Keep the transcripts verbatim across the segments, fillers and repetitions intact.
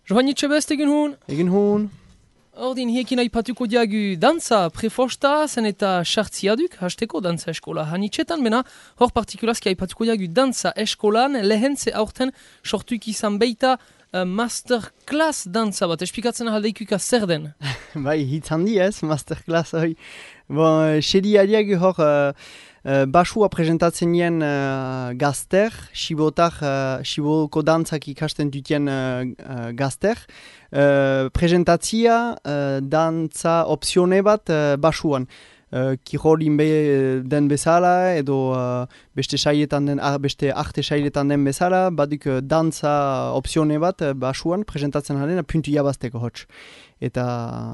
Johan Itxebest egin hun. Egin hun. Ordin hiekin aipatuko diagu dantza prefosta zen eta sartziaduk, hasteko dantza eskola hanitxetan, mena hor partikulazki aipatuko diagu dantza eskolan lehentze aurten sortuik izan beita uh, masterclass dantza bat. Espikatzen ahaldeikuka zer den? Bai, hitz handi ez, masterclass hori. Bon, sedi adiagu hor uh, uh, basua presentatzen nien uh, gazter, sibotar, uh, siboko dantzak ikasten dutien uh, uh, gazter. Uh, presentatzia uh, dantza opzione bat uh, basuan. Uh, Kirolin be den bezala edo uh, beste sailetan den, ah, beste arte sailetan den bezala, baduk uh, dantza opzione bat uh, basuan presentatzen haren puntu jabazteko hots. Eta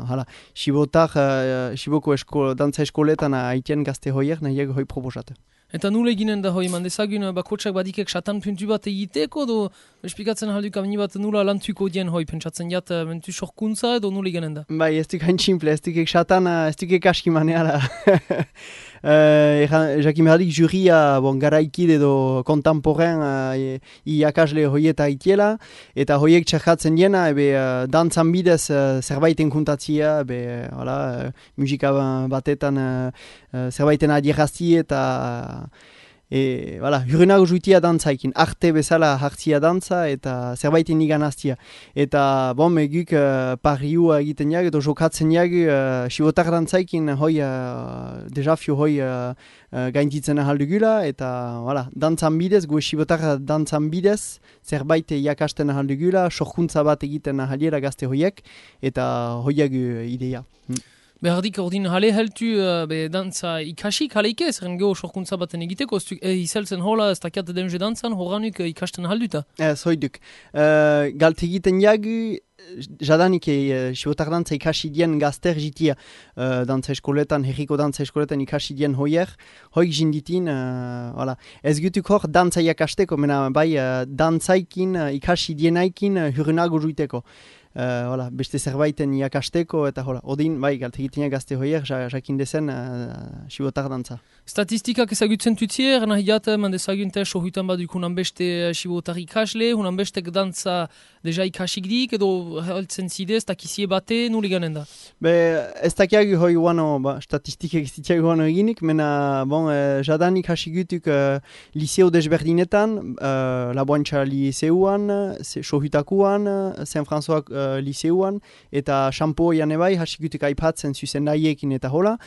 hala, sibotar, uh, siboko esko, dantza eskoletan haitien gazte hoier nahiago hoi proposate. Eta nule eginen da hoi, man dezagun bakotsak badikek satan puntu bat egiteko, do espikatzen halduk amini bat nula lantuko dien hoi, pentsatzen jat mentu sorkuntza edo nule eginen da? Bai, ez duk hain simple, ez duk satan, ez duk aski maneala. Jakim erdik juria bon, garaikid edo kontemporen uh, iakasle hoieta haitiela, eta hoiek txerkatzen diena, ebe uh, dantzan bidez uh, zerbaiten kuntatzia, ebe uh, musika batetan uh, uh, zerbaiten adierazti eta E, voilà, jurenago juitia dantzaikin, arte bezala hartzia dantza eta zerbaiten iganaztia. Eta bon, eguk uh, pariua egiten jag, edo jokatzen jag, uh, sibotar dantzaikin hoi, uh, desafio hoi uh, uh, gainditzen ahaldugula, eta voilà, dantzan bidez, gue sibotar dantzan bidez, zerbait jakasten ahaldugula, sorkuntza bat egiten ahaliera gazte hoiek, eta hoiak uh, ideia. Hmm. Behardik ordin hale heltu uh, be dantza ikasik haleike, zeren geho sorkuntza baten egiteko, e, izeltzen hola ez dakiat demje dantzan, horanuk uh, ikasten halduta? Ez, hoiduk. Uh, Galt egiten jagu, jadanik e, sibotar dantza ikasi dien gazter jitia uh, dantza eskoletan, herriko dantza eskoletan ikasi dien hoier, hoik jinditin, uh, voilà. Ez gutuk hor dantza jakasteko, mena bai uh, dantzaikin, uh, ikasi dienaikin uh, hurenago juiteko. Uh, hola, beste zerbaiten iakasteko eta hola, odin, bai, galtegiten gazte hoier, jakin dezen uh, sibotar dantza. Statistikak ezagutzen tutzier, nahi jat, man dezagunte sohutan baduk hunan beste sibotar ikasle, hunan bestek dantza deja ikasik dik, edo heltzen zidez, takizie bate, nuli ganen da? Be, ez dakiag hoi guano, ba, statistikak ez ditiag guano eginik, mena, bon, eh, jadan ikasik gutuk uh, liseo desberdinetan, uh, Laboantxa liseuan, sohutakuan, Saint François uh, liseuan, eta Champo janebai, hasikutuk aipatzen zuzendaiekin eta hola,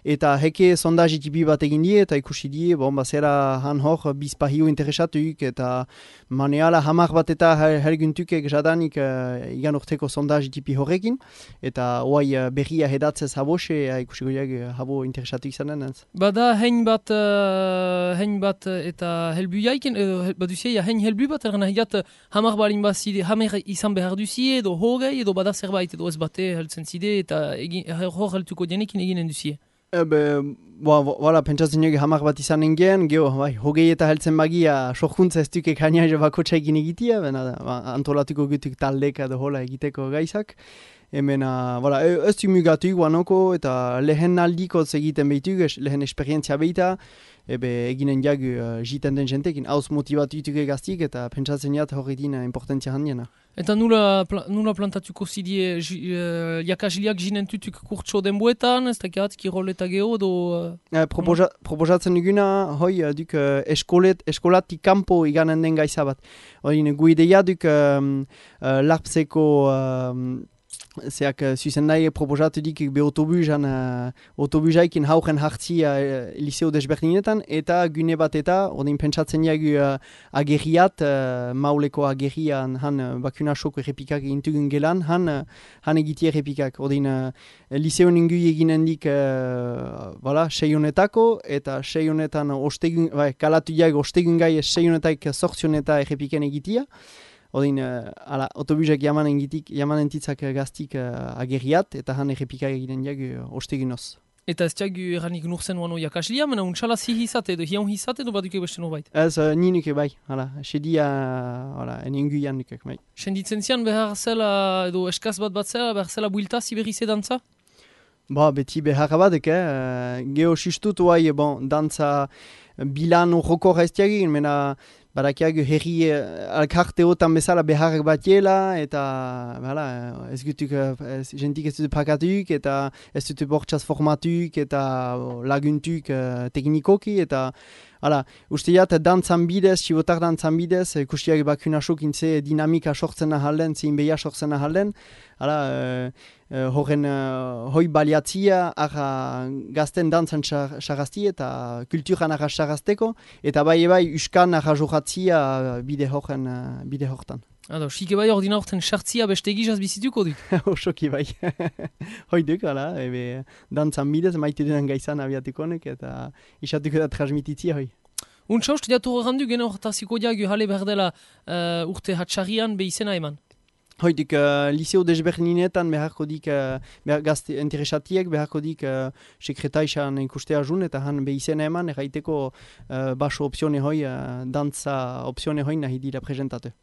eta heke sondazitipi bat egin die, eta ikusi die, bon, bazera han hor bizpahio interesatuk, eta maneala hamar bat eta herguntukek jadanik uh, igan urteko sondazitipi horrekin, eta hoai uh, berria hedatzez habose, uh, ikusi goiak uh, habo interesatuk izanen. Bada hein bat, uh, hein bat eta helbu jaiken, uh, baduzie, hein helbu bat, ergan nahiat hamar balin bazide, hamar izan behar duzie, edo hogei, edo bada zerbait, edo ez bate heltzen zide, eta egin, hor heltuko dienekin eginen duzie. Ebe, voilà, pentsatzen jogi hamar bat izan engen, geho, bai, hogei eta heltzen bagia, sorkuntza ez duke kainaia bakotxa egin egitea, bena, ba, antolatuko gutuk taldeka edo hola egiteko gaizak. Hemen, uh, voilà, ez du mugatu guanoko eta lehen aldiko egiten behituk, lehen esperientzia behita, ebe eginen jagu uh, jiten den jentekin, hauz motivatu ituke gaztik eta pentsatzen jat horretin uh, importantzia handiena. Eta nula, pla, nula plantatuko zidie uh, jakasiliak jinen tutuk kurtso denboetan, ez dakiat, kirol eta geho, do... Uh, uh, proposa, proposatzen duguna, hoi, uh, duk uh, eskolet, eskolatik kampo iganen den gaiza bat. Hoi, gu ideia duk um, uh, larpseko... Um, Zeak, zuzendai proposatu dik be autobusan, uh, autobusaikin hauren hartzi uh, liseo desberdinetan, eta gune bat eta, odin pentsatzen jagu uh, ageriat, uh, mauleko agerian, han uh, bakunasoko errepikak intugun gelan, han, uh, han egiti errepikak. Odin uh, liseo ningu eginen dik, uh, voilà, sei honetako, eta sei honetan ostegun, bai, kalatu jagu ostegun gai sei honetak sortzioneta errepiken egitia. Odin, uh, ala, autobusak jaman engitik, jaman entitzak gaztik uh, ageriat, eta han errepikak egiten jagu uh, ostegunoz. Eta ez tiagu erranik nurzen wano jakaslia, mena untxala zi hizate edo hion hizate edo baduke beste nobait? Ez, uh, ni nuke bai, hala, sedia, hala, enen guian nukek bai. Senditzen zian behar zela, edo eskaz bat bat zela, behar zela builtazi berriz edantza? Ba, beti behar badek, eh? Uh, geho sistut, oai, bon, dantza bilan horroko restiagin, mena barakiak herri alkarteotan bezala beharrak batiela, eta hala, ez gutuk, jentik ez dute pakatuk, eta ez dute bortxaz formatuk, eta laguntuk teknikoki, eta hala, usteat dantzan bidez, sibotar dantzan bidez, kustiak bakunasok intze dinamika sortzen ahalden, zein beha sortzen ahalden, hala, uh, horren uh, hoi baliatzia, ara gazten dantzan xarazti eta kulturan ara xarazteko, eta bai bai uskan ara johatzia bide horren, uh, bide hortan. Ado, xike bai ordina horten sartzia beste egizaz bizituko duk? Osoki bai. Hoi duk, hala, ebe dantzan bidez, maite denen gaizan abiatukonek, eta isatuko da transmititzia hoi. Untsa uste diatu horrendu gena horretaziko diagu jale berdela uh, urte hatxarrian behizena eman? Hoidik, uh, liceo desberdinetan beharko dik, uh, behar gazte interesatiek, beharko dik uh, sekretaixan ikustea jun, eta han behizena eman, erraiteko uh, baso opzione hoi, uh, dantza opzione hoi nahi dira presentate.